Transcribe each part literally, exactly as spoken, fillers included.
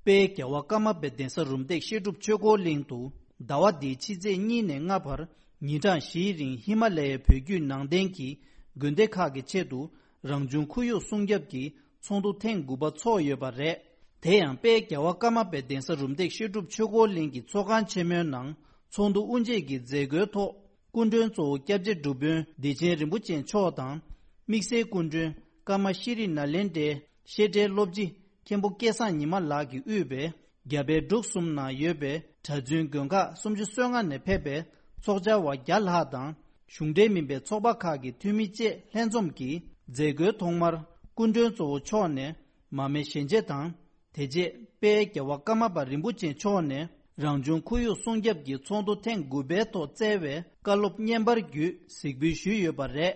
དཔལ་རྒྱལ་བ་ཀརྨ་པའི་གདན་ས་རུམ་བཏེག་བཤད་སྒྲུབ་ཆོས་འཁོར་གླིང་དུ་ཟླ་བ་འདིའི་ཕྱི་ཚེས་གཉིས་ནས་ལྔ་བར་ཉིན་གྲངས་བཞིའི་རིང་ཧི་མ་ལ་ཡའི་བོད་བརྒྱུད་ནང་བསྟན་གྱི་དགོན་སྡེ་ཁག་གི་ཆེད་དུ་རང་བྱུང་ཁོར་ཡུག་སྲུང་སྐྱོབ་ཀྱི་ཚོགས་འདུ་ཐེངས་དགུ་པ་འཚོགས་ཡོད་པ་རེད། དེ་ཡང་དཔལ་རྒྱལ་བ་ཀརྨ་པའི་གདན་ས་རུམ་བཏེག་བཤད་སྒྲུབ་ཆོས་འཁོར་གླིང་གི་ཚོགས་ཁང་ཆེན་མོའི་ནང་ཚོགས་འདུ་དབུ་འབྱེད་ཀྱི་མཛད་སྒོའི་ཐོག་སྐུ་མགྲོན་གཙོ་བོ་སྐྱབས་རྗེ་སྒྲུབ་དཔོན་བདེ་ཆེན་རིན་པོ་ཆེ་མཆོག་དང་། དམིགས་བསལ་སྐུ་མགྲོན་ཀརྨ་ཤྲི་ནཱ་ལེནྡྲའི་བཤད་གྲྭའི་སློབ་སྤྱི་མཁན་པོ་སྐལ་བཟང་ཉི་མ་ལགས་ཀྱིས་དབུས་པའི་རྒྱ་བལ་འབྲུག་གསུམ་ནང་ཡོད་པའི་གྲྭ་བཙུན་དགོན་ཁག་སུམ་ཅུ་སོ་ལྔ་ནས་ཕེབས་པའི་ཚོགས་བཅར་བ་བརྒྱ་ལྷག་དང་གཞུང་འབྲེལ་མིན་པའི་ཚོགས་པ་ཁག་གི་འཐུས་མི་བཅས་ལྷན་འཛོམས་ཀྱིས་མཛད་སྒོའི་ཐོག་མར་སྐུ་མགྲོན་གཙོ་བོ་མཆོག་ནས་མར་མེ་ཞལ་མཇལ་དང་། དེ་རྗེས་དཔལ་རྒྱལ་བ་ཀརྨ་པ་རིན་པོ་ཆེ་མཆོག་ནས་རང་བྱུང་ཁོར་ཡུག་སྲུང་སྐྱོབ་ཀྱི་ཚོགས་འདུ་ཐེངས་དགུ་པའི་ཐོག་བསྩལ་བའི་བཀའ་སློབ་བརྙན་པར་བརྒྱུད་གཟིགས་འབུལ་ཞུས་ཡོད་པ་རེད།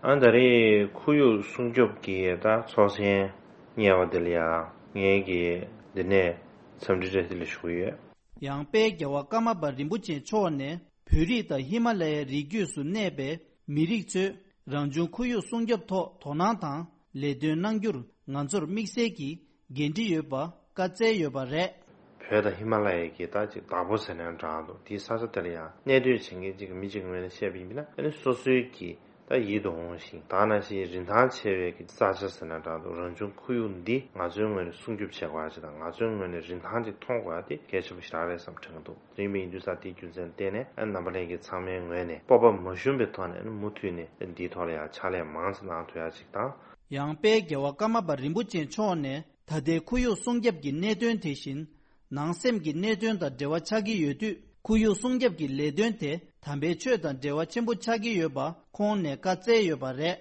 ཨ་ད་རེས་ཁོར་ཡུག་སྲུང་སྐྱོབ་ཀྱི་ད་ཚོགས་ཆེན་གཉེར་བ་འདི་ལ་ཡང་ངེད་ཀྱིས་འདི་ནས་འཚམས་འདྲི་བཀྲ་ཤིས་བདེ་ལེགས་ཞུ་གི་ཡོད། ཡང་དཔལ་རྒྱལ་བ་ཀརྨ་པ་རིན་པོ་ཆེ་མཆོག་ནས་བོད་རིགས་དང་ཧི་མ་ལ་ཡའི་རི་རྒྱུད་སུ་གནས་པའི་མི་རིགས་ཚོས་རང་བྱུང་ཁོར་ཡུག་སྲུང་སྐྱོབ་ཐོག་དོ་སྣང་དང་ལས་དོན་གནང་རྒྱུར་ང་ཚོར་དམིགས་བསལ་གྱི་འགན་འཁྲི་ཡོད་པ་བཀའ་སྩལ་ཡོད་པ་རེད། བོད་དང་ཧི་མ་ལ་ཡའི་གི་ད་ཅིག་བདག་པོ་ཟེར་ན་འདྲ་འདུག་དེའི་ས་ཆ་དེ་ལ་ཡང་གནས་སྡོད་བྱེད་མཁན་ཅིག་མི་གཅིག་གི་ངོས་ནས་བཤད་པ་ཡིན་ན་ཨ་ནི་སོ་སོའི་གི་ད་ཡིད་དུ་འོང་ཞིང་ད་ནང་བཞིན་རིན་ཐང་ཆེ་བའི་གི་ས་ཆ་ཟེར་ན་འདྲ་འདུག་རང་བྱུང་ཁོར་ཡུག་འདི་ང་ཚོའི་ངོས་ནས་སྲུང་སྐྱོབ་བྱེད་དགོས་ཡ་ཅིག་དང་ང་ཚོའི་ངོས་ནས་རིན་ཐང་ཅིག་མཐོང་དགོས་ཡ་དེ་གལ་ཆེན་པོ་ཞིག་རེད་བསམ་དྲན་གི་འདུག་དེ་ཡིན་པ་ཡིན་དུས་ཙང་དེའི་རྒྱུ་མཚན་བརྟེན་ནས་ཨ་རྣམ་པ་ལྷན་རྒྱས་ཚང་མའི་ངོས་ནས་སྤོབས་པ་མ་ཞུམ་པའི་ཐོག་ནས་ཨ་ནི་མུ་མཐུད་ནས་འདིའི་ཐོག་ལ་ཡང་ཕྱག་ལས་མང་ཙམ་གནང་ཐུབ་ཡ་ཅིག་དང་། ཡང་དཔལ་རྒྱལ་བ་ཀརྨ་པ་རིན་པོ་ཆེ་མཆོག་ནས་ད་ལྟའི་ཁོར་ཡུག་སྲུང་སྐྱོབ་ཀྱི་གནད་དོན་དེ་བཞིན་ནང་སེམས་ཀྱི་གནད་དོན་དང་འབྲེལ་བ་ཆགས་ཀྱི་ཡོད་དུས་ཁོར་ཡུག་སྲུང་སྐྱོབ་ཀྱི་ལས་དོན་དེ་དམ་པའི་ཆོས་དང་འབྲེལ་བ་ཆེན་པོ་ཆགས་ཀྱི་ཡོད་པ་ཁོང་ནས་བཀའ་སྩལ་ཡོད་པ་རེད།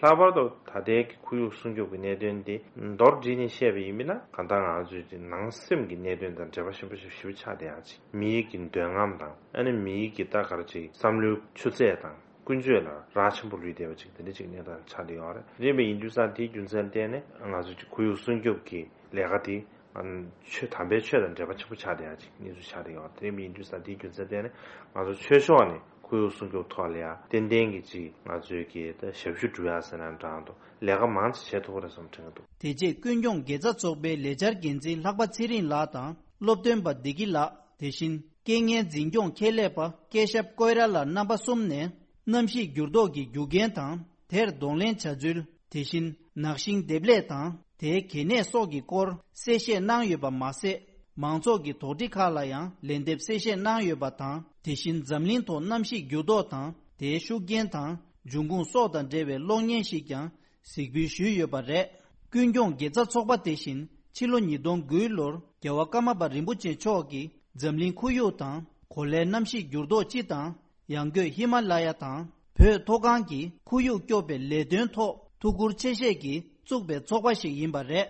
ལྷག་པར་དུ་ད་ལྟའི་གི་ཁོར་ཡུག་སྲུང་སྐྱོབ་ཀྱི་གནད་དོན་འདི་མདོར་བསྡུས་ནས་བཤད་པ་ཡིན་ན་གང་ལྟར་ང་ཚོའི་གི་ནང་སེམས་ཀྱི་གནད་དོན་དང་འབྲེལ་བ་ཆེན་པོ་ཞིག་ཞེ་པོ་ཆགས་བསྡད་ཡ་ཅིག་མིའི་གི་འདོད་རྔམ་དང་ཨ་ནི་མིའི་གི་ད་ག་རེ་ཅིག་བསམ་བློའི་ཆུ་ཚད་དང་ཀུན་སྤྱོད་ལ་རག་ཆེན་པོ་ལུས་བསྡད་པ་ཅིག་དེ་འདྲ་ཅིག་གནས་སྟངས་ཆགས་བསྡད་ཡོད་རེད། རེད་པ་ཡིན་དུས་ཙང་དེའི་རྒྱུ་མཚན་བརྟེན་ནས་ང་ཚོ་ཅིག་ཁོར་ཡུག་སྲུང་སྐྱོབ་ཀྱི་ལས་ཀ་དེ་ཨ་ཆོས་དམ་པའི་ཆོས་དང་འབྲེལ་བ་ཆེན་པོ་ཆགས་བསྡད་ཡ་ཅིག་གནས་ཚུལ་ཆགས་བསྡད་ཡོད་རེད། དེ་ཡིན་དུས་ཙང་དེའི་རྒྱུ་མཚན་བརྟེན་ནས་ང་ཚོ་ཆོས་ཕྱོགས་ནས་ཁོར་ཡུག་སྲུང་སྐྱོབ་ཐོག་ལ་ཡ་ཏན་ཏན་གྱི་ཅིག་ང་ཚོའི་གི་ད་ཞབས་ཞུ་སྒྲུབ་ཡ་ཟེར་ན་འདྲ་འདུག་ལས་ཀ་མང་ཙམ་བྱེད་ཐུབ་ཀྱི་རེད་བསམ་དྲན་གྱི་འདུག་དེ་རྗེས་ཀུན་སྐྱོང་དགེ་རྩ་ཚོགས་པའི་ལས་འཆར་འགན་འཛིན་ལྷག་པ་ཚེ་རིང་ལགས་དང་སློབ་སྟོན་པ་བདེ་སྐྱིད་ལགས། དེ་བཞིན་རྐྱེན་ངན་འཛིན་སྐྱོང་ཁྱད་ལས་པ་སྐལ་ཞབས་ཀོས་ར་ལགས་རྣམ་པ་གསུམ་ནས་གནམ་གཤིས་འགྱུར་ལྡོག་གི་རྒྱུ་རྐྱེན་དང་དེར་གདོང་ལེན་བྱ་ཚུལ། དེ་བཞིན་ནག་ཤིང་འདེབས་ལས་དང་དེའི་གལ་གནད་སོགས་ཀྱི་སྐོར་གསལ་བཤད་གནང་ཡོད་པ་མ་ཟད། མང་ཚོགས་ཀྱི་དོགས་འདྲི་ཁག་ལ་ཡང་ལན་འདེབས་གསལ་བཤད་གནང་ཡོད་པ་དང་། དེ་བཞིན་འཛམ་གླིང་ཐོག་གནམ་གཤིས་འགྱུར་ལྡོག་དང་དེའི་ཤུགས་རྐྱེན་དང་འབྱུང་ཁུངས་སོགས་དང་འབྲེལ་བའི་གློག་བརྙན་ཞིག་ཀྱང་གཟིགས་འབུལ་ཞུས་ཡོད་པ་རེད། ཀུན་སྐྱོང་དགེ་རྩ་ཚོགས་པ་དེ་བཞིན་ཕྱི་ལོ་ཉིས་སྟོང་དགུའི་ལོར་རྒྱལ་བ་ཀརྨ་པ་རིན་པོ་ཆེ་མཆོག་གིས་འཛམ་གླིང་ཁོར་ཡུག་དང་གོ་ལའི་གནམ་གཤིས་འགྱུར་ལྡོག་སྤྱི་དང་། ཡང་སྒོས་ཧི་མ་ལ་ཡ་དང་བོད་མཐོ་སྒང་གི་ཁོར་ཡུག་སྐྱོབ་པའི་ལས་དོན་ཐོག་ཐུགས་ཁུར་ཆེ་བཞེས་ཀྱིས་བཙུགས་པའི་ཚོགས་པ་ཞིག་ཡིན་པ་རེད།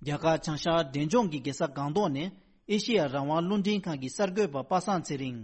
རྒྱ་གར་བྱང་ཤར་འབྲས་ལྗོངས་ཀྱི་རྒྱལ་ས་སྒང་ཏོག་ནས་ཨེ་ཤེ་ཡ་རང་དབང་རླུང་འཕྲིན་ཁང་གི་གསར་འགོད་པ་པ་སངས་ཚེ་རིང་།